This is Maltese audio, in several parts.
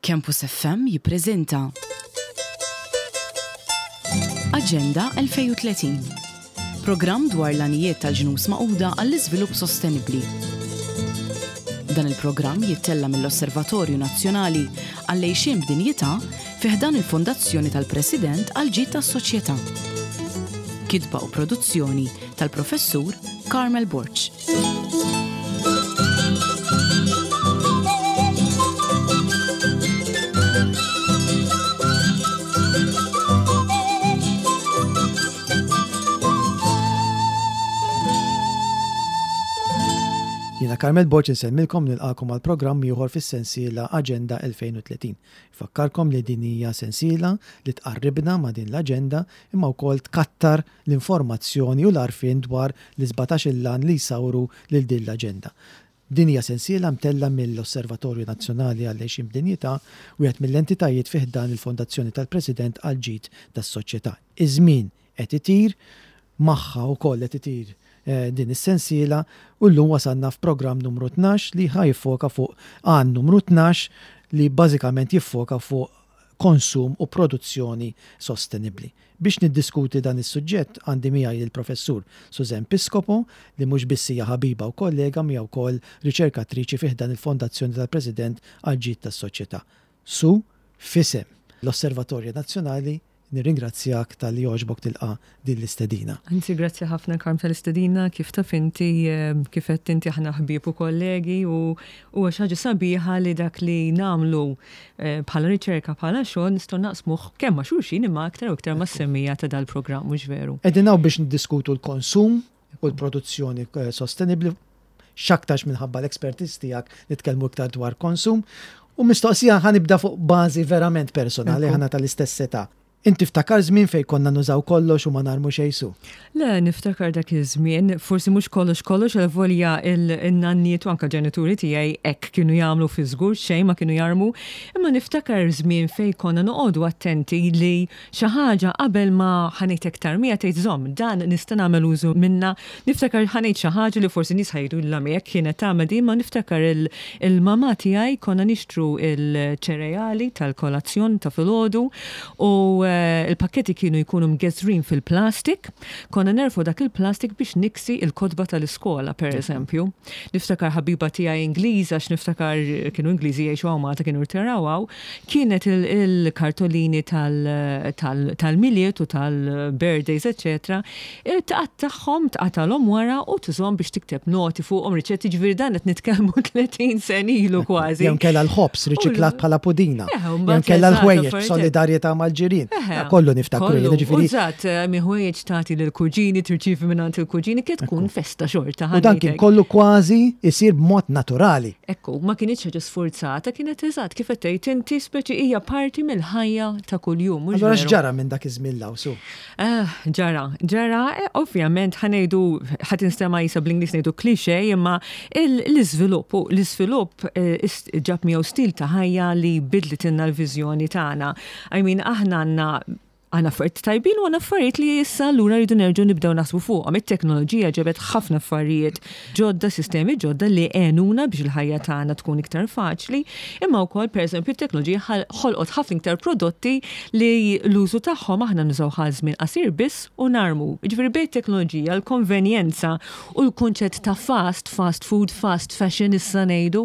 Campus FM jippreżenta Aġenda 2030. Programm dwar l-għanijiet tal-Ġnus Magħquda għall-Iżvilupp Sostenibbli. Dan il-programm jittella' mill-Osservatorju Nazzjonali għall-Għixien b'Dinjità fi ħdan il-Fondazzjoni tal-President għall-Ġid tas-Soċjetà. Kitba u produzzjoni tal-Professur Carmel Borg. Jiena Carmel Borg insellmilkom nilqakom għal programm ieħor fis-sensiela Aġenda 2030. Fakkarkom li din hija sensiela li tqarribna ma' din l-aġenda imma wkoll tkattar l-informazzjoni u l-għarfien dwar l-sbatax-il għan li jsawru lil din l-aġenda. Din hija sensiela mtellgħa mill-Osservatorju Nazzjonali għall-Għixien b'Dinjità, wieħed mill-entitajiet fi ħdan il-Fondazzjoni tal-President għall-Ġid tas-Soċjetà. Iż-żmien qed itir, magħha wkoll qed itir din is-sensiela u llum wasalna f'programm numru 12 li ħa jiffoka fuq għan numru 12 li bażikament jiffoka fuq konsum u produzzjoni sostenibbli. Biex niddiskuti dan is-suġġett għandi miegħi lill-Professur Suzanne Piscopo li mhux biss hija ħabiba u kollega imma hija wkoll riċerkatriċi fi ħdan il-Fondazzjoni tal-President għall-Ġid tas-Soċjetà. Su, f'isem l-Osservatorju Nazzjonali Nirringrazzjak talli għoġbok tilqa' din l-istedina. Anzi grazzi ħafna Karm tal-istedina, kif taf inti, kif għedt inti aħna ħbieb u kollegi u huwa xi ħaġa sabiħa li dak li nagħmlu bħala riċerka bħala xogħol nistgħu naqsmuh kemm ma' xulxin imma aktar u iktar mas-semmiegħa ta' dal-programm mhux veru. Qegħdin hawn biex niddiskutu l-konsum u l-produzzjoni sostenibbli, x'aktarx minħabba l-expertise tiegħek nitkellmu iktar dwar konsum. U mistoqsija ħa nibda fuq bażi verament personali, aħna tal-istess età. Inti tiftakar żmien fejn konna nużaw kollox u ma narmu xejn su? Le, niftakar dak iż-żmien, forsi mhux kollox kollox, avolja n-nanniet u anke l-ġenituri tiegħi hekk kienu jagħmlu fi żgur xejn ma kienu jarmu, imma niftakar żmien fejn konna noqogħdu attenti li Xi ħaġa qabel ma ħa ngħid hekk tarmiha tgħid żomm, dan nista' nagħmel użu minnha. Niftakar ħa ngħid xi ħaġa li forsi nies ħa jgħidu illa hekk kienet tagħmel din, imma niftakar il-mamà tiegħi konna nixtru l-ċereali tal-kolazzjon ta' filgħodu u l-pakketti kienu jkunu mgeżwrin fil-plastik. Konna nerfgħu dak il-plastik biex niksi l-kotba tal-iskola, per eżempju. Niftakar ħabiba tiegħi Ingliża, għax niftakar kienu Ingliżi jgħixu hawn Malta kienu rtiraw hawn, Kienet il-kartolini tal-Milied u tal-birthdays eċċetera, tqattagħhom, tqatalhom wara u tużhom biex tikteb noti fuqhom, riċetti, ġifieri dan qed nitkellmu 30 sena ilu kważi. Jew inkella l-ħobż riċiklat bħala pudina. Jew inkella l-ħwejjeġ b'solidarjetà mal-ġirien. Kollu niftakru jien, ġifieri. Eżatt, ħwejjeġ tagħti lill-kuġini, tirċievi mingħand il-kuġini, kienet tkun festa xorta. U dan kien kollu kważi jsir b'mod naturali. Ekku, ma kinitx ħaġa sfurzata, kienet eżatt kif qed tgħid inti, speċi hija parti mill-ħajja ta' kuljum, mhux Allura x'ġara minn dak iż-żmien 'l hawn, Su? Eh, ġara, ġara, eh, ovvjament ħa ngħidu ħa tinstema' qisha bl-Ingliż ngħidu cliché, imma l-iżvilupp, u l-iżvilupp eh, ġab miegħu stil ta' ħajja li bidlitilna l-viżjoni tagħna. I mean, aħna għandna Għandna affarijiet tajbin u għandna affarijiet li issa allura rridu nerġgħu nibdew naħsbu fuqhom. It-teknoloġija ġabet ħafna affarijiet ġodda, sistemi ġodda li għenuna biex il-ħajja tagħna tkun iktar faċli, imma wkoll pereżempju t-teknoloġija ħolqot ħafna iktar prodotti li l-użu tagħhom aħna nużawh għal żmien qasir biss u narmu. Jiġifieri bejn it-teknoloġija, l-konvenjenza u l-kunċett ta' fast, fast food, fast fashion issa ngħidu,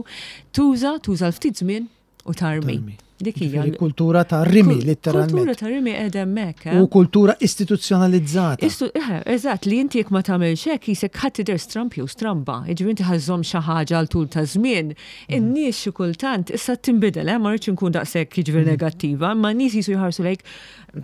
tuża, tuża għal ftit żmien u tarmi. Dik hija kultura ta' rimi, letteralment. Kultura ta' rimi qiegħda hemmhekk. Eh? U kultura istituzzjonalizzata. Eh, eżatt, li inti jekk ma tagħmilx hekk jisek ħadd tidher stramp jew stramba. Jiġifieri inti ħażżomm xi ħaġa għal tul ta' żmien. Mm. In-nies xi kultant issa tinbidel, eh, ma rridx inkun daqshekk jiġifieri mm. negattiva, imma n-nies jisu jħarsu lejk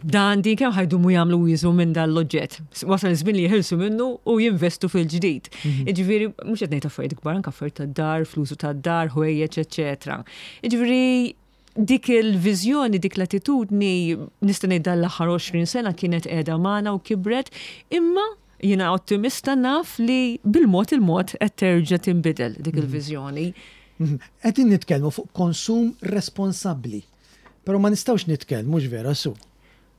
dan din kemm ħajdumu jagħmlu jiżu minn dan l-oġġett. Wasal iż-żmien li jeħilsu minnu u jinvestu fil-ġdid. Mhm. Jiġifieri mhux qed ngħid affarijiet kbar, anke affarijiet tad-dar, flusu tad-dar, ħwejjeġ, eċċetera. Jiġifieri dik il-viżjoni, dik l-attitudni, nista' ngħid dan l-aħħar 20 sena kienet qiegħda magħna u kibret, imma jiena ottimista naf li bil-mod il-mod qed terġa' tinbidel dik mhm. il-viżjoni. Mhm. Qegħdin nitkellmu fuq konsum responsabbli. Però ma nistgħux nitkellmu, mhux vera su,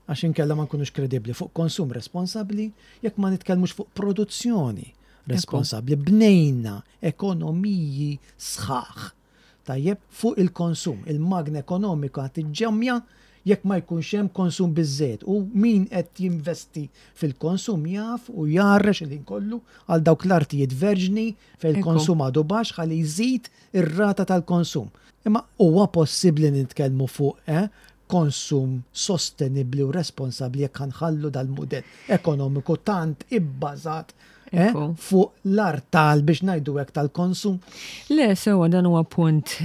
għax inkella ma nkunux kredibbli fuq konsum responsabbli jekk ma nitkellmux fuq produzzjoni responsabbli. Bnejna ekonomiji sħaħ. tajjeb, fuq il-konsum. Il-magna ekonomika tiġġemmja jekk ma jkunx hemm konsum biżżejjed u min qed jinvesti fil-konsum jaf u jgħarrex il-ħin kollu għal dawk l-artijiet verġni fejn il-konsum għadu baxx ħalli jżid ir-rata tal-konsum. Imma huwa possibbli nitkellmu fuq eh, konsum sostenibbli u responsabbli jekk ħa nħallu dal-mudell ekonomiku tant ibbażat eh, fuq l-artal biex ngħidu hekk tal-konsum? Le, sewa dan huwa punt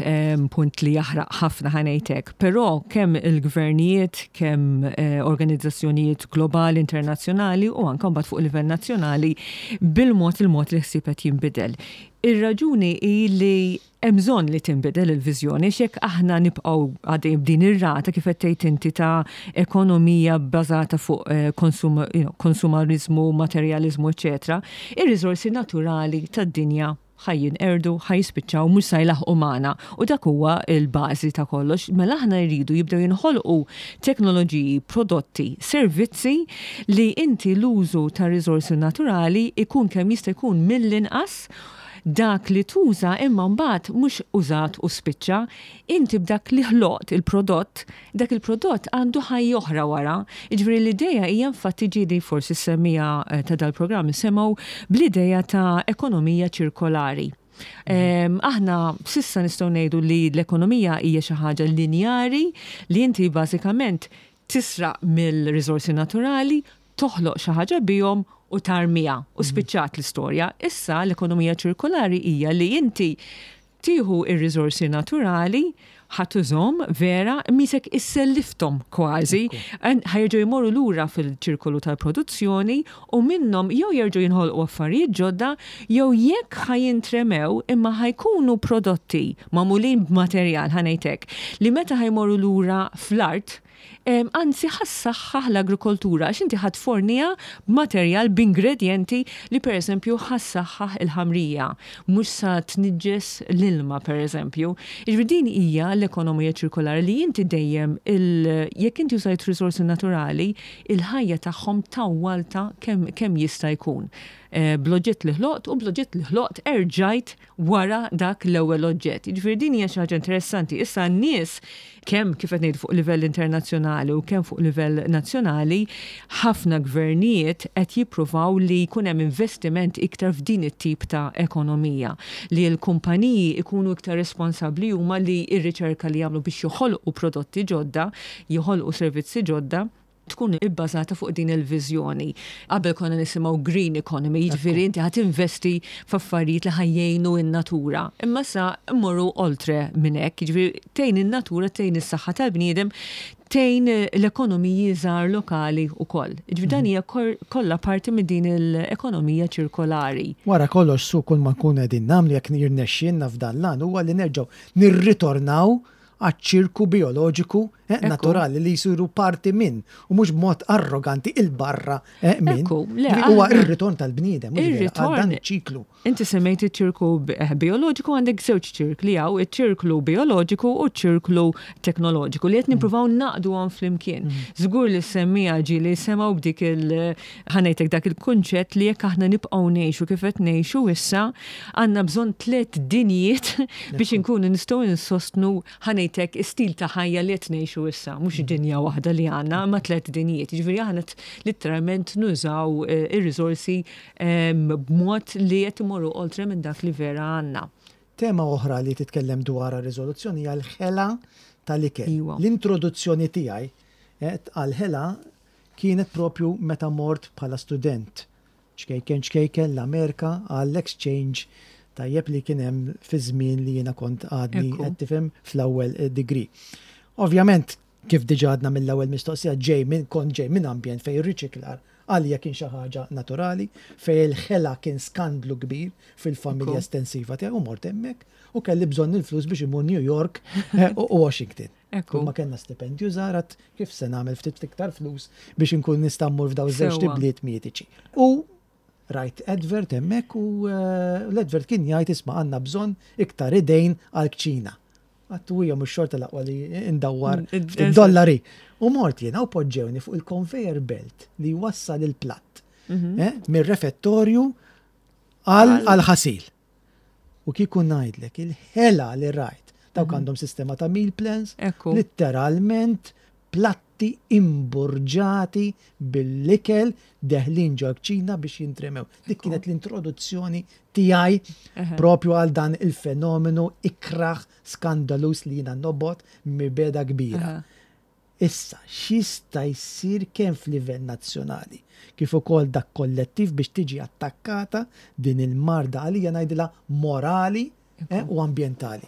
punt li jaħraq ħafna ħa ngħidlek, però kemm il-gvernijiet, kemm eh, organizzazzjonijiet globali, internazzjonali u anke mbagħad fuq livell nazzjonali bil-mod il-mod li ħsieb qed jinbidel. Ir-raġuni hi li Hemm bżonn li tinbidel il-viżjoni għax jekk aħna nibqgħu għaddejjin b'din ir-rata kif qed tgħid inti ta' ekonomija bbażata fuq eh, konsum, you know, konsumariżmu, materjaliżmu, eċetera, ir-riżorsi naturali tad-dinja ħa jinqerdu, ħa jispiċċaw, mhux sa jlaħħqu magħna. U dak huwa l-bażi ta' kollox. Mela aħna jridu jibdew jinħolqu teknoloġiji, prodotti, servizzi li inti l-użu ta' riżorsi naturali ikun kemm jista' jkun mill-inqas dak li tuża imma mbagħad mhux użat u spiċċa, inti b'dak li ħloqt il-prodott, dak il-prodott għandu ħajja oħra wara. Jiġifieri l-idea hija infatti ġieli forsi s-semmiegħa eh, ta' dal-programm semgħu bl-idea ta' ekonomija ċirkolari. Aħna sissa nistgħu ngħidu li l-ekonomija hija xi ħaġa linjari li inti bażikament tisraq mill-riżorsi naturali, toħloq xi ħaġa bihom u tarmiha u spiċċat l-istorja. Issa l-ekonomija ċirkolari hija li inti tieħu r-riżorsi naturali, ħa tużhom vera, misek issellifthom kważi, ħa jerġgħu jmorru lura fil-ċirkolu tal-produzzjoni u minnhom jew jerġgħu jinħolqu affarijiet ġodda jew jekk ħa jintremew imma ħa jkunu prodotti magħmulin b'materjal ħa ngħid hekk li meta ħa jmorru lura fl-art Anzi ħa ssaħħaħ l-agrikoltura għax inti ħa tforniha b'materjal, b'ingredjenti li pereżempju ħa ssaħħaħ il-ħamrija, mhux sa tniġġes l-ilma pereżempju. Jiġifieri din hija l-ekonomija ċirkolari li inti dejjem il jekk inti użajt riżorsi naturali, il-ħajja tagħhom tawwaltha kemm kemm jista' jkun. Bl-oġġett li ħloqt u bl-oġġett li ħloqt erġajt wara dak l-ewwel oġġett. Jiġifieri din hija xi ħaġa interessanti. Issa n-nies kemm kif qed ngħidu fuq livell internazzjonali u kemm fuq livell nazzjonali, ħafna gvernijiet qed jippruvaw li jkun hemm investiment iktar f'din it-tip ta' ekonomija, li l-kumpaniji jkunu iktar responsabbli huma li r-riċerka li jagħmlu biex joħolqu prodotti ġodda, joħolqu servizzi ġodda, tkun ibbażata fuq din il-viżjoni. Qabel konna nisimgħu green economy, jiġifieri inti ħa tinvesti f'affarijiet li ħa jgħinu n-natura. Imma sa mmorru oltre minn hekk, jiġifieri tgħin in-natura, tgħin is-saħħa tal-bniedem, tgħin l-ekonomiji żgħar lokali wkoll. Jiġifieri dan hija kollha parti minn din l-ekonomija ċirkolari. Wara kollox su kull ma nkunu qegħdin nagħmlu jekk jirnexxielna f'dan l-għan huwa li nerġgħu nirritornaw għaċ-ċirku bijoloġiku eh, naturali li jsiru parti minn u mhux b'mod arroganti il-barra eh, minn. Huwa ir-ritorn tal-bniedem, ir-ritorn dan iċ-ċiklu. Inti semmejt iċ-ċirku eh, bijoloġiku għandek żewġ ċirkli hawn, iċ-ċirklu bijoloġiku u ċ-ċirklu teknoloġiku li qed mm. nippruvaw naqdu għom flimkien. Mm. Żgur li semmija ġieli semgħu b'dik il ħanejtek dak il-kunċett li jekk aħna nibqgħu ngħixu kif qed ngħixu issa, għandna bżonn tlett dinjiet biex inkunu nistgħu insostnu ħanejtek istil ta' ħajja li qed ngħixu issa, mhux mm. dinja waħda li għandna, ma tlett dinjiet. Jiġifieri aħna litteralment nużaw eh, ir-riżorsi ehm, b'mod li qed imorru oltre minn dak li vera għandna. Tema oħra li titkellem dwar riżoluzzjoni hija l-ħela tal-ikel. Iwa. L-introduzzjoni tiegħi eh, għal-ħela kienet propju meta mort bħala student ċkejken ċkejken l-Amerika għall-exchange tajjeb li kien hemm fi żmien li jiena kont għadni qed tifhem fl-ewwel eh, degree. Ovvjament, kif diġà għadna mill-ewwel mistoqsija ġej minn kont ġej minn ambjent fejn ir-riċiklar għalija kien xi ħaġa naturali, fejn il-ħela kien skandlu kbir fil-familja estensiva tiegħi u mort hemmhekk u kelli bżonn il-flus biex imur New York eh, u Washington. Ekku. Ma kellna stipendju żgħar kif se nagħmel ftit iktar flus biex inkun nista' mmur f'daw iż-żewġ tibliet mitiċi. U rajt advert hemmhekk u eh, l-advert kien jgħid isma' għandna bżonn iktar idejn għall-kċina. Għattu hija mhux xorta l-aqwa li ndawwar mm, ftit dollari. U mort jiena u poġġewni fuq il-conveyor belt li wassal il-platt mhm. eh, mir-refettorju għal ħasil. U kieku ngħidlek il-ħela li rajt. Dawk għandhom sistema ta' meal plans. Litteralment platti imburġati bil-ikel deħlin ġol-kċina biex jintremew. Dik kienet l-introduzzjoni tiegħi propju għal dan il-fenomenu ikrah skandaluż li jiena nobgħod mibegħda kbira. Issa, x'jista' jsir kemm f'livell nazzjonali kif ukoll dak kollettiv biex tiġi attakkata din il-marda għalija ngħidilha morali u ambjentali.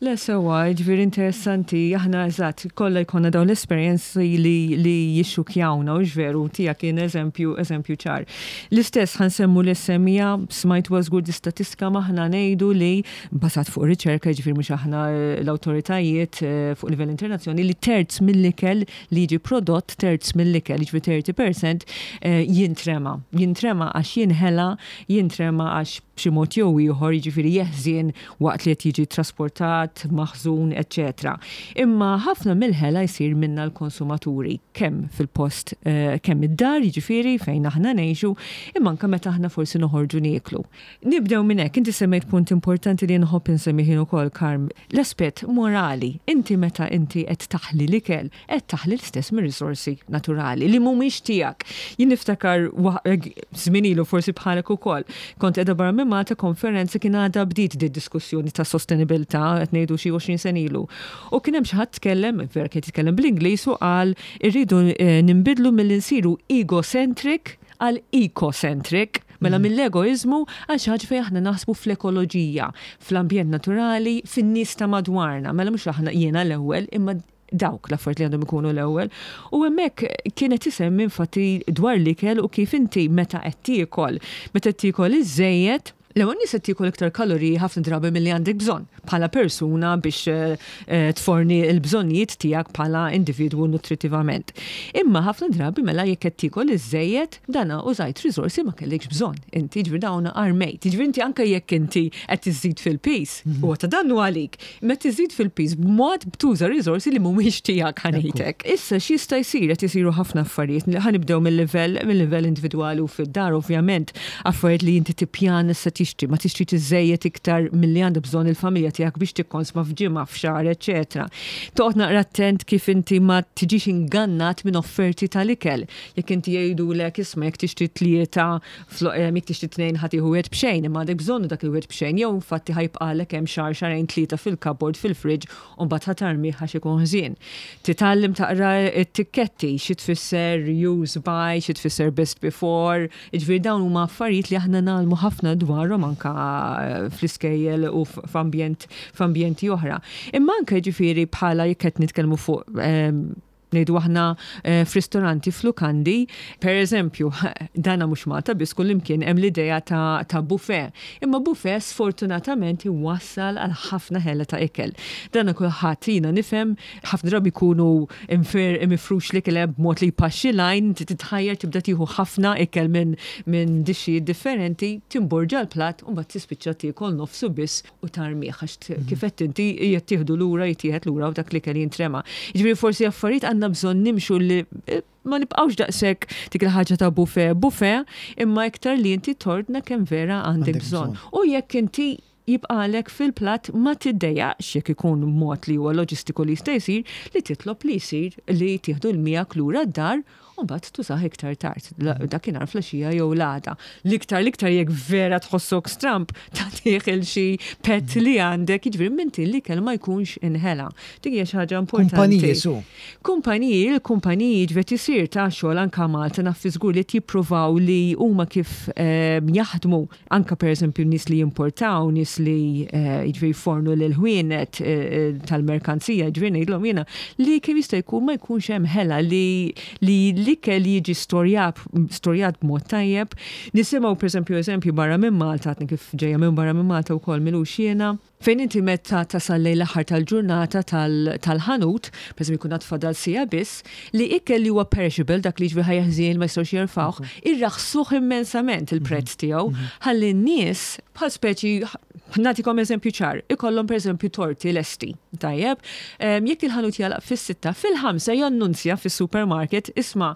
Le sewwa, jiġifieri interessanti, aħna eżatt, kollha jkollna dawn l-esperjenzi li, li jixxukjawna, hux veru, tiegħek kien eżempju, eżempju ċar. L-istess ħa nsemmu l-SMEA, smajtuha żgur di statistika m'aħna ngħidu li, bbażat fuq riċerka, jiġifieri mhux aħna l-awtoritajiet fuq livell internazzjoni, li terz mill-ikel li jiġi prodott, terz mill-ikel, jiġifieri 30%, jintrema. Jintrema għax jinħela, jintrema għax b'xi mod jew ieħor, jiġifieri jeħżien waqt li qed jiġi ttrasportat, maħżun, eċċetera. Imma ħafna mill-ħela jsir minna l-konsumaturi, kemm fil-post, kemm id-dar, jiġifieri fejn aħna ngħixu, imma anke meta aħna forsi noħorġu nieklu. Nibdew minn hekk, inti semmejt punt importanti li nħobb insemmih jien ukoll, Karm, l-aspett morali. Inti meta inti qed taħli l-ikel, qed taħli l-istess mir-riżorsi naturali li mhumiex tiegħek. Jien niftakar żmien ilu forsi bħalek ukoll, kont qiegħda barra minn Malta konferenza kien għadha bdiet di diskussjoni ta' sostenibilità qed ngħidu xi 20 sena ilu. U kien hemm xi ħadd tkellem, vera kien jitkellem bl-Ingliż u qal irridu eh, ninbidlu milli nsiru egocentric għal ecocentric, mela mill-egoiżmu għal xi ħaġa fejn aħna naħsbu fl-ekoloġija, fl-ambjent naturali, fin-nies ta' madwarna. Mela mhux aħna jiena l-ewwel, imma dawk l-affarijiet li għandhom ikunu l-ewwel. U hemmhekk kienet isemmi infatti dwar l-ikel u kif inti meta qed tiekol, meta qed tiekol iżżejjed, l-ewwel nies qed tiekol iktar kaloriji ħafna drabi milli għandek bżonn bħala persuna biex eh, tforni l-bżonnijiet tiegħek bħala individwu nutritivament. Imma ħafna drabi mela jekk qed tiekol iżżejjed, dana użajt riżorsi ma kellikx bżonn. Inti ġifieri dawn armejt. Ġifieri inti anke jekk inti qed iżżid fil-piż, huwa ta' dannu għalik. Meta tiżid fil-piż b'mod b'tuża riżorsi li mhumiex tiegħek ħanejtek. Issa x'jista' jsir qed isiru ħafna affarijiet. Ħa nibdew mill-livell mill-livell individwali u fid-dar ovvjament affarijiet li inti tippjana se tixtri, ma tixtrix iżżejjed iktar milli għandha bżonn il-familja tiegħek biex tikkonsma f'ġimgħa, f'xahar, eċċetera. Toqgħod naqra attent kif inti ma tiġix ingannat minn offerti tal-ikel. Jekk inti jgħidulek isma' jekk tixtri tlieta Jekk tixtri tnejn ħa tieħu wieħed b'xejn, imma għandek bżonnu dak il-wieħed b'xejn jew infatti ħa jibqagħlek hemm xahar, xahrejn, tlieta fil-cupboard, fil-fridge u mbagħad ħa tarmih għax ikun ħżien. Titgħallem taqra t-tikketti, xi tfisser use by, xi tfisser best before, jiġifieri dawn huma affarijiet li aħna ngħallmu ħafna dwarhom anke fl-iskejjel u f'ambjent f'ambjenti oħra. Imma anke jiġifieri bħala jekk qed nitkellmu fuq ngħidu aħna f'ristoranti, f'lukandi, per eżempju, dana mhux Malta biss kullimkien hemm l-idea ta', ta buffet. Imma buffet sfortunatament iwassal għal ħafna ħela ta' ikel. Dana kulħadd jiena nifhem ħafna drabi jkunu infer mifrux l-ikel b'mod li jpaxxi l-għajn, inti titħajjar tibda tieħu ħafna ikel minn minn dixxijiet differenti, timborġa l-platt u mbagħad tispiċċa tiekol nofsu biss u tarmih għax kif għedt inti jittieħdu lura, jittieħed lura u dak l-ikel jintrema. Jiġifieri forsi affarijiet għandna bżonn nimxu li eh, ma nibqgħux daqshekk dik il-ħaġa ta' buffet buffet, imma iktar li inti tordna kemm vera għandek bżonn. U jekk inti jibqalek fil-platt ma tiddejjaqx jekk ikun mod li huwa loġistiku li jista' jsir li titlob li jsir li tieħdu l-miegħek lura d-dar u mbagħad tużah iktar tard, dakinhar flaxija jew l-għada. L-iktar l-iktar jekk vera tħossok stramb tagħtih il xi pet li għandek, jiġifieri minn l-ikel ma jkunx inħela. Dik hija xi ħaġa importanti. Kumpaniji su. Kumpaniji, il-kumpaniji ġifieri isir ta' xogħol anke Malta naf fi żgur li jippruvaw li huma kif ehm, jaħdmu Anke pereżempju nies li jimportaw, nies li jiġifieri jfornu lill-ħwienet tal-merkanzija, jiġifieri ngħidilhom jiena li kemm jista' jkun ma jkunx hemm ħela li li l-ikel jiġi storjat storjat b'mod tajjeb. Nisimgħu pereżempju eżempju barra minn Malta, għadni kif ġejja minn barra minn Malta wkoll m'ilux jiena, Fejn inti meta tasal lejn l-aħħar tal-ġurnata tal-ħanut, pereżempju jkun għad fadal siegħa biss, li ikel li huwa perishable, dak li jiġifieri ħa jeħżien ma jistgħux jerfgħuh, irraħsuh immensament il-prezz tiegħu, ħalli n-nies bħal speċi, nagħtikom eżempju ċar, ikollhom pereżempju torti lesti, tajjeb, jekk il-ħanut jagħlaq fis-sitta, fil-ħamsa jannunzja fis-supermarket, isma'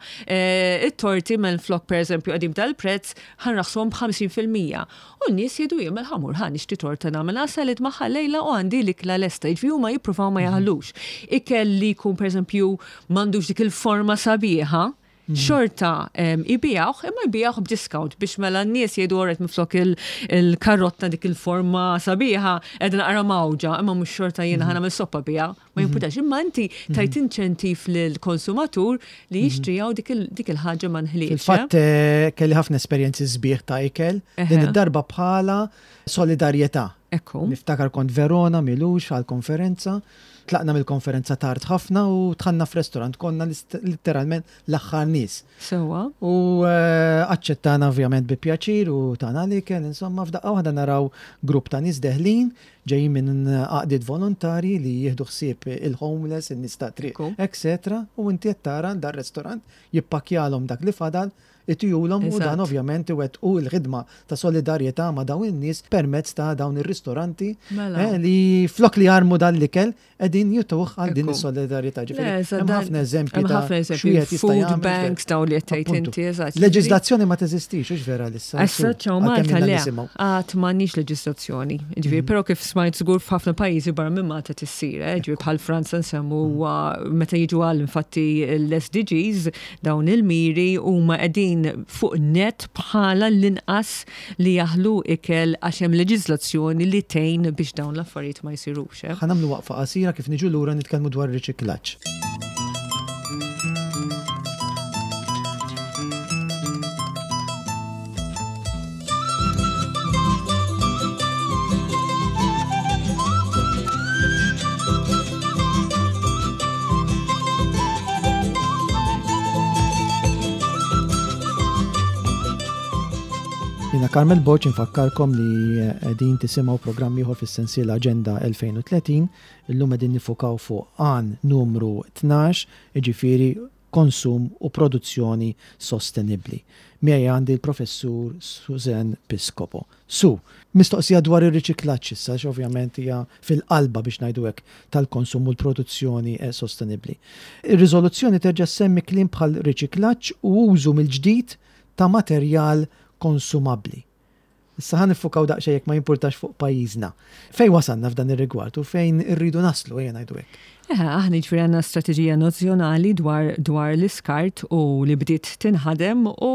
it-torti minflok pereżempju qegħdin b'dal-prezz, ħa nraħħsuhom b'50%. U n-nies jgħidu jien mela ħa mmur ħa nixtri torta nagħmel salad magħha. nitfagħha llejla u għandi l-ikla lesta. Jiġifieri huma jippruvaw ma jaħlux. Ikel li jkun pereżempju m'għandux dik il-forma sabiħa, xorta jbigħuh imma jbigħuh b'discount biex mela n-nies jgħidu alright minflok il-karotta dik il-forma sabiħa qiegħda naqra mgħawġa imma mhux xorta jiena ħa nagħmel soppa biha. Ma jimpurtax, imma inti tajt inċentiv lill-konsumatur li jixtriha u dik il-ħaġa ma nħlietx. Fil-fatt kelli ħafna esperjenzi sbieħ ta' ikel, din id-darba bħala solidarjetà. Ekku. Niftakar kont Verona m'ilux għal konferenza, tlaqna mill-konferenza tard ħafna u dħalna f'restorant, konna litteralment l-aħħar nies. Sewwa. U aċċettana ovvjament bi pjaċir u tana l-ikel, insomma f'daqqa waħda naraw grupp ta' nies deħlin ġejjin minn għaqdiet volontarji li jieħdu ħsieb il-homeless, in-nies tat-triq, etc. U inti qed tara dar-restorant jippakkjalhom dak li fadal, itihulhom u dan ovvjament iwettqu l-ħidma ta' solidarjetà ma' dawn in-nies permezz ta' dawn ir-ristoranti li flok li jarmu dan l-ikel qegħdin jituh għal din is-solidarjetà. Ġifieri hemm ħafna eżempji ta' x'wieħed jista' jagħmel. Food banks dawn li qed tgħid inti, eżatt. Leġiżlazzjoni ma teżistix, hux vera issa. Issa ċaw Malta le. Għad m'għandniex leġiżlazzjoni. Ġifieri però kif smajt żgur f'ħafna pajjiżi barra minn Malta tissir, eh, ġifieri bħal Franza nsemmu meta jiġu għal infatti l-SDGs dawn il-miri huma qegħdin fuq net bħala l-inqas li jaħlu ikel għax hemm leġiżlazzjoni li tgħin biex dawn l-affarijiet ma jsirux. Ħa nagħmlu waqfa qasira kif niġu lura nitkellmu dwar riċiklaġġ. Jiena Carmel Borg infakkarkom li qegħdin tisimgħu programm ieħor fis-sensiela Aġenda 2030. Illum qegħdin nifukaw fuq għan numru 12, jiġifieri konsum u produzzjoni sostenibbli. Miegħi għandi l-Professur Suzanne Piscopo. Su, mistoqsija dwar ir-riċiklaġġ issa, għax ovvjament hija fil-qalba biex ngħidu hekk tal-konsum u l-produzzjoni sostenibbli. Ir-riżoluzzjoni terġa' ssemmi kliem bħal riċiklaġġ u użu mill-ġdid ta' materjal konsumabbli. Issa ħa niffukaw daqsxejn jekk ma jimpurtax fuq pajjiżna. Fejn wasalna f'dan ir-rigward u fejn irridu naslu, ejja ngħidu hekk? Eħe, aħna jiġifieri għandna strateġija nazzjonali dwar dwar l-iskart u li bdiet tinħadem u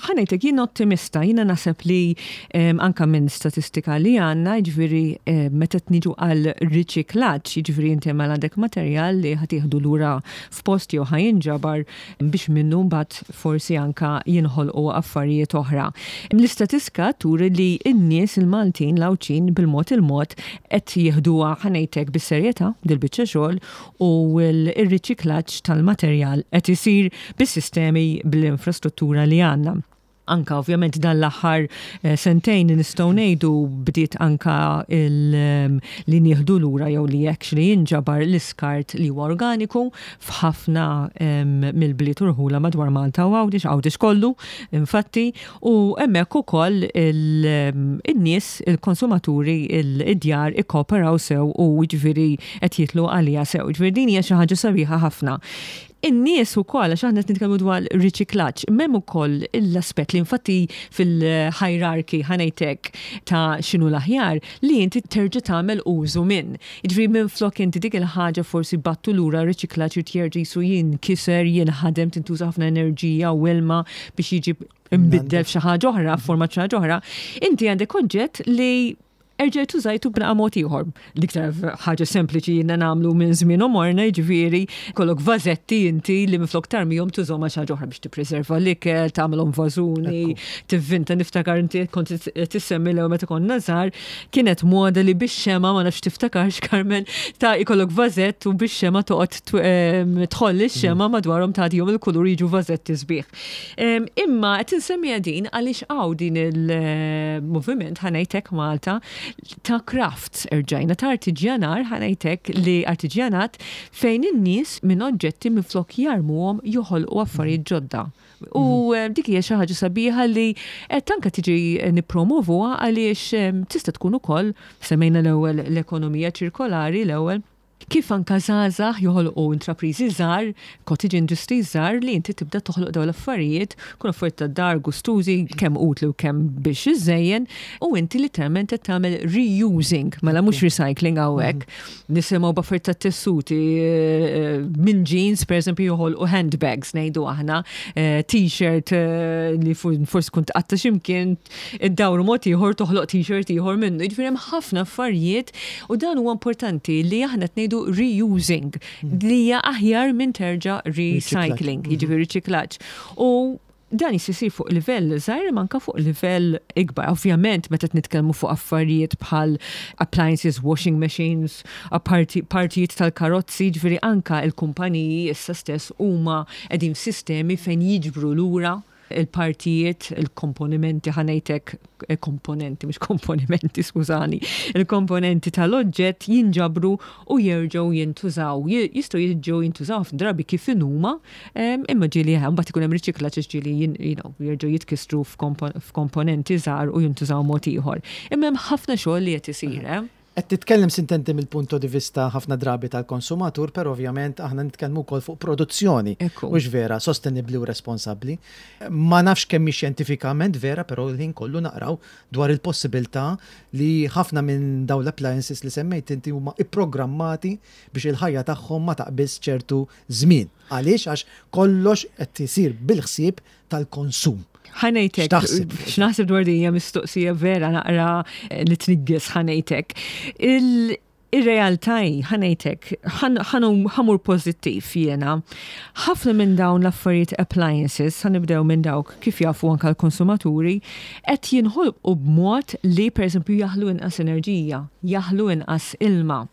ħa ngħidlek jien ottimista, jiena naħseb li anka minn statistika li għandna, jiġifieri meta qed niġu għal riċiklaġġ, jiġifieri inti mela għandek materjal li ħa tieħdu lura f'post jew ħa jinġabar biex minnu mbagħad forsi anka jinħolqu affarijiet oħra. L-istatiska turi li n-nies il-Maltin, l-Għawdxin bil-mod il-mod qed jieħduha ħa ngħid hekk bis-serjetà dil-biċċa xogħol u l-riċiklaġġ tal-materjal qed isir bis-sistemi bl-infrastruttura li għandna. Anka ovvjament dan l-aħħar eh, sentejn nistgħu ngħidu bdiet anka ehm, li nieħdu lura jew li actually jinġabar l-iskart li huwa organiku f'ħafna ehm, mill-bliet u rħula madwar Malta u Għawdex, Għawdex kollu, infatti, u hemmhekk ukoll ehm, in-nies, il-konsumaturi, id-djar ikkooperaw sew u jiġifieri qed jitlu għaliha sew. Jiġifieri din hija xi ħaġa sabiħa ħafna. In-nies ukoll, għax aħna qed nitkellmu dwar riċiklaġġ, imma hemm ukoll l-aspett li infatti fil-hierarchy ħa ngħid hekk ta' x'inhu l-aħjar, li inti terġa' tagħmel użu minn. Jiġifieri minflok inti dik il-ħaġa forsi bgħattu lura r-riċiklaġġ irid jerġa' qisu jinkiser, jinħadem, tintuża ħafna enerġija u ilma biex jiġi mbiddel f'xi ħaġa oħra, f'forma xi ħaġa oħra, inti għandek oġġett li erġajt użajtu b'naqa mod ieħor. L-iktar ħaġa sempliċi jiena nagħmlu minn żmien għomorna, jiġifieri kollok vażetti inti li minflok tarmihom tużhom għal xi ħaġa oħra biex tippreserva l-ikel, tagħmilhom vażuni, tivvinta niftakar inti kont tissemmi l meta konna żgħar, kienet moda li bix-xema ma nafx tiftakarx Carmen ta' ikollok vażett u bix-xema toqgħod tħoll ix-xema madwarhom tagħtihom il-kulur jiġu vażetti sbieħ. Imma qed insemmiha din għaliex hawn din il-moviment ħa ngħid hekk Malta ta' crafts erġajna ta' artiġjanar ħa ngħid hekk li artiġjanat fejn in-nies minn oġġetti minflok jarmuhom joħolqu affarijiet ġodda. U mhm. dik hija xi ħaġa sabiħa li qed anke tiġi nippromovuha għaliex tista' tkun ukoll semmejna l-ewwel l-ekonomija ċirkolari l-ewwel. Kif anka żgħażagħ joħolqu intrapriżi żgħar, cottage industries żgħar li inti tibda toħloq dawn l-affarijiet, kun affarijiet tad-dar gustużi, kemm utli u kemm biex iżżejjen, u inti literalment qed tagħmel reusing, mela mhux recycling hawnhekk. Nisimgħu b'affarijiet tat-tessuti minn jeans pereżempju joħolqu handbags ngħidu aħna, t-shirt li forsi tkun tqatta' x'imkien iddawru mod ieħor toħloq t-shirt ieħor minnu. Jiġifieri hemm ħafna affarijiet u dan huwa importanti li aħna qed ngħidu reusing li hija aħjar minn terġa' recycling, jiġifieri riċiklaġġ. U dan jista' jsir fuq livell żgħir imma anke fuq livell ikbar. Ovvjament meta qed nitkellmu fuq affarijiet bħal appliances, washing machines, partijiet tal-karozzi, jiġifieri anke l-kumpaniji issa stess huma qegħdin f'sistemi fejn jiġbru lura il-partijiet, il-komponimenti, ħa ngħid hekk, eh, komponenti, mhux komponimenti, skużani, il-komponenti tal-oġġett jinġabru u jerġgħu jintużaw. Jistgħu jerġgħu jintużaw ħafna drabi kif inhuma, imma ġieli eh, mbagħad ikun hemm riċiklaġġ ġieli jerġgħu jitkissru f'komponenti żgħar u jintużaw mod ieħor. Imma hemm ħafna xogħol li qed isir, eh. Qed titkellem sintendi mill-punto di vista ħafna drabi tal-konsumatur, però ovvjament aħna nitkellmu wkoll fuq produzzjoni. Hux vera, sostenibbli u responsabbli. Ma nafx kemm hi xjentifikament vera, però l-ħin kollu naqraw dwar il-possibilità li ħafna minn dawn l-appliances li semmejt inti huma ipprogrammati biex il-ħajja tagħhom ma taqbiżx ċertu żmien. Għaliex? Għax kollox qed isir bil-ħsieb tal-konsum. Ħa ngħidlek, x'naħseb dwar din hija mistoqsija vera naqra eh, li tnigges ħa ngħidlek. Ir-realtà hi, ħa ngħidlek, ħa mmur pożittiv jiena. Ħafna minn dawn l-affarijiet appliances, ħa nibdew minn dawk kif jafu anka l-konsumaturi, qed jinħolqu b'mod li pereżempju jaħlu inqas enerġija, jaħlu inqas ilma.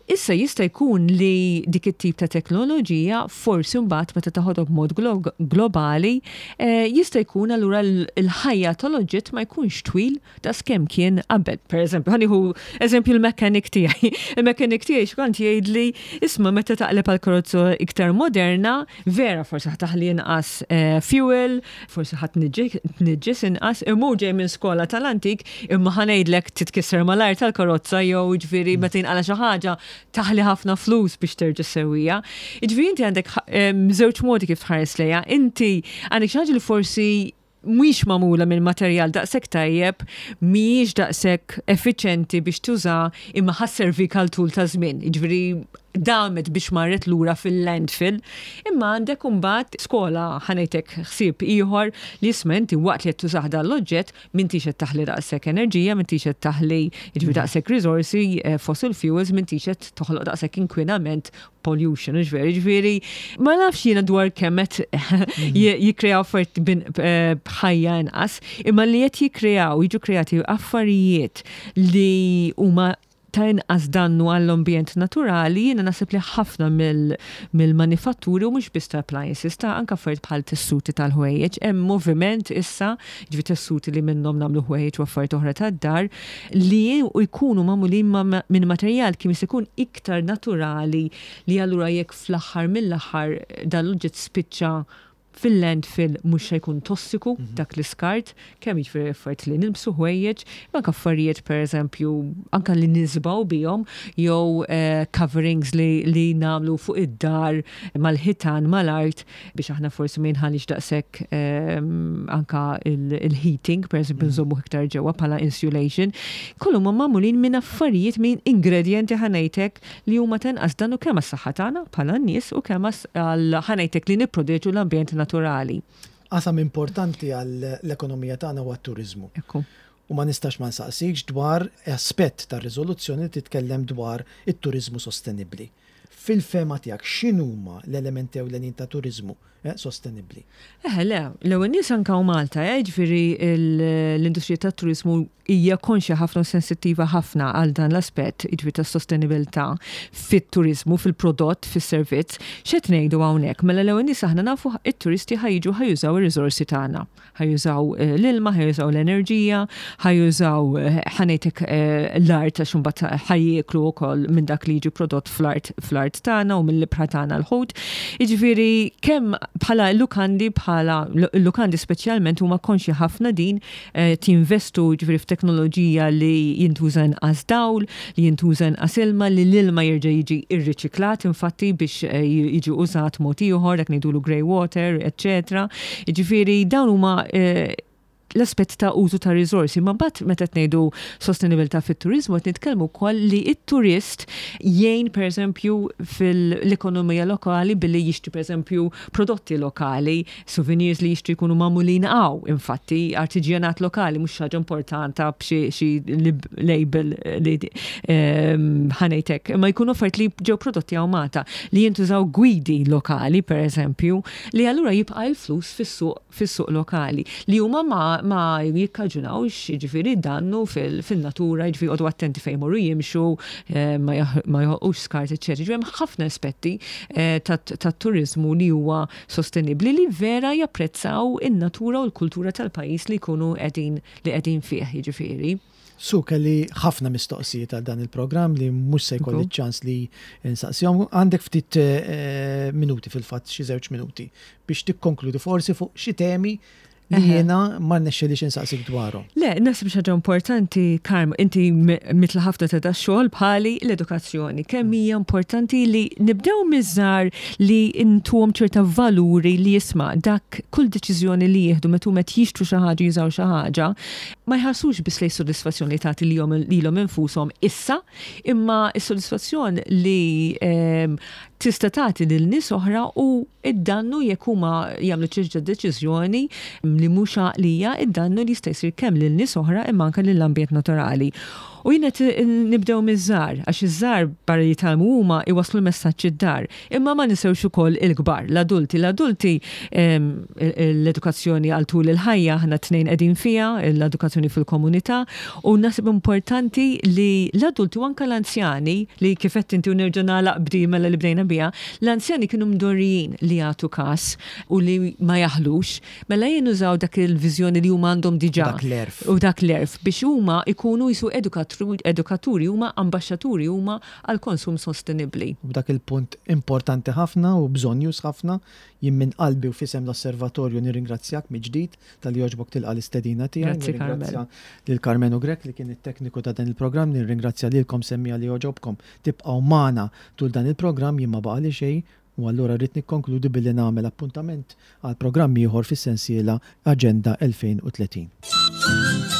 Issa jista' jkun li dik it-tip ta' teknoloġija forsi mbagħad meta taħodha b'mod globali eh, jista' jkun allura l-ħajja tal-oġġett ma jkunx twil daqs kemm kien qabel. Per eżempju, ħa nieħu eżempju l-mechanic tiegħi. Il-mechanic tiegħi xkont jgħidli isma' meta taqleb għal karozza iktar moderna, vera forsi ħa taħli inqas eh, fuel, forsi ħa tniġġis inqas, imma ġej minn skola tal-antik, imma ħa ngħidlek titkisser malajr tal-karozza jew ġifieri meta jinqala xi ħaġa taħli ħafna flus biex terġa' sewwija. Ġifieri inti għandek żewġ modi kif tħares lejha. Inti għandek xi ħaġa li forsi mhix magħmula minn materjal daqshekk tajjeb, mhijiex daqshekk effiċjenti biex tuża imma ħa sservik għal tul ta' żmien. Jiġifieri damet biex marret lura fil-landfill, imma għandek imbagħad skola ħa ngħidlek ħsieb ieħor li isma' inti waqt li qed tużah dan l-oġġett m'intix qed taħli daqshekk enerġija, m'intix qed taħli jiġifieri daqshekk riżorsi, eh, fossil fuels, m'intix qed toħloq daqshekk inkwinament pollution, hux veru, ġifieri ma nafx jiena dwar kemm qed jikkreaw affarijiet eh, b'ħajja inqas, imma li qed jikkreaw, jiġu kreati affarijiet li huma ta' inqas dannu għall-ambjent naturali, jiena naħseb li ħafna mill-manifatturi u mhux biss ta' appliances, ta' anke affarijiet bħal tessuti tal-ħwejjeġ, hemm moviment issa, ġifieri tessuti li minnhom nagħmlu ħwejjeġ u affarijiet oħra tad-dar, li jkunu magħmulin minn materjal kemm jista' jkun iktar naturali li allura jekk fl-aħħar mill-aħħar dan l-oġġett spiċċa fil-landfill mhux se jkun tossiku dak l-iskart, kemm jiġifieri affarijiet li nilbsu ħwejjeġ, imma anke affarijiet pereżempju anke li niżbgħu bihom jew eh, coverings li, li nagħmlu fuq id-dar mal-ħitan mal-art biex aħna forsi ma jinħalix daqshekk ehm, anka il-heating, pereżempju mhm. nżommu iktar ġewwa bħala insulation, kollu ma magħmulin minn affarijiet minn ingredjenti ħa ngħidlek li huma ta' inqas dannu kemm għas-saħħa tagħna bħala nies u kemm għal ħa ngħidlek li nipproteġu l-ambjent naturali. Qasam importanti għall-ekonomija tagħna huwa t-turiżmu. U ma nistax ma nsaqsikx dwar aspett tar-riżoluzzjoni li titkellem dwar it-turiżmu sostenibbli. Fil-fehma tiegħek x'inhuma l-elementi ewlenin ta' turiżmu eh, sostenibbli? Eħe, le, l-ewwel nies anke hawn Malta, eh, ġifieri l-industrija tat-turiżmu hija konxja ħafna u sensittiva ħafna għal dan l-aspett, jiġifieri tas-sostenibilità fit-turiżmu, fil-prodott, fis-servizz. X'qed ngħidu hawnhekk? Mela l-ewwel nies aħna nafu it-turisti ħa jiġu ħa jużaw ir-riżorsi tagħna. Ħa jużaw eh, l-ilma, ħa jużaw l-enerġija, ħa jużaw eh, ħa ngħidlek eh, l-art għax imbagħad ħa jieklu wkoll minn dak li jiġi prodott fl-art fl fl-art tagħna u mill-ibħra tagħna l-ħut. Jiġifieri kemm bħala lukandi bħala lukandi speċjalment huma konxji ħafna din qed jinvestu jiġifieri f'teknoloġija li jintuża inqas dawl, li jintuża inqas ilma, li l-ilma jerġa' jiġi rriċiklat infatti biex jiġi użat mod ieħor, dak ngħidulu grey water, eċċetera. Jiġifieri dawn huma l-aspett ta' użu ta' riżorsi. Ma mbagħad meta qed ngħidu sostenibilità fit-turiżmu qed nitkellmu wkoll li t-turist jgħin pereżempju fil-ekonomija lokali billi jixtri pereżempju prodotti lokali, Souvenirs li jixtru jkunu magħmulin hawn, infatti, artiġjanat lokali mhux xi ħaġa importanta b'xi label li ħa ngħid hekk, imma jkunu affarijiet li ġew prodotti hawn Malta, li jintużaw gwidi lokali, pereżempju, li allura jibqa' il-flus fis-suq fis-suq lokali, li huma ma ma jikkaġunawx jiġifieri dannu fil-natura, jiġifieri joqogħdu attenti fejn imorru jimxu, ma joħolqux skart, eċċetera. Jiġifieri hemm ħafna aspetti tat-turiżmu li huwa sostenibbli li vera japprezzaw in-natura u l-kultura tal-pajjiż li jkunu qegħdin li qegħdin fih, jiġifieri. Su, kelli ħafna mistoqsijiet għal dan il-programm li mhux se jkolli ċ-ċans li nsaqsihom. Għandek ftit minuti fil-fatt, xi żewġ minuti biex tikkonkludi forsi fuq xi temi li jiena ma rnexxilix insaqsik dwarhom. Le, naħseb xi ħaġa importanti, Karm, inti mitla ħafna ta' dax-xogħol bħali l-edukazzjoni. Kemm hija importanti li nibdew miż-żgħar li ntuhom ċerta valuri li jisma' dak kull deċiżjoni li jieħdu meta huma qed jixtru xi ħaġa jużaw xi ħaġa, ma jħarsux biss lejn sodisfazzjon li tagħti lilhom infushom issa, imma s-sodisfazzjon li tista' tagħti lil nies oħra u id-dannu jekk huma jagħmlu ċerta deċiżjoni li mhux għaqlija, id-dannu li jista' jsir kemm lil nies oħra imma anke lill-ambjent naturali. U jien qed nibdew miż-żgħar, għax iż-żgħar barra li jitgħallmu huma jwasslu l-messaġġ id-dar. Imma ma ninsewx ukoll il-kbar, l-adulti. L-adulti l-edukazzjoni għal tul il-ħajja aħna t-tnejn qegħdin fiha, l-edukazzjoni fil-komunità, u naħseb importanti li l-adulti u anke l-anzjani li kif għedt inti u nerġa' nagħlaq b'di mela li bdejna biha, L-anzjani kienu mdorrijin li jagħtu kas u li ma jaħlux, mela jien użaw dak il-viżjoni li huma għandhom diġà. U dak l-għerf. U dak l-għerf biex huma jkunu qisu edukaturi huma ambaxxaturi huma għall-konsum sostenibbli. U b'dak il-punt importanti ħafna u bżonnjuż ħafna, jien minn qalbi u f'isem l-Osservatorju nirringrazzjak mill-ġdid talli għoġbok tilqa' l-istedina tiegħi. Grazzi Carmel. Nirringrazzja lil Karmenu Grech li kien it-tekniku ta' dan il-programm, nirringrazzja lilkom semmiegħa li għoġobkom tibqgħu magħna tul dan il-programm, jien ma baqagħli xejn u allura rrid nikkonkludi billi nagħmel appuntament għal programm ieħor fis-sensiela Aġenda 2030.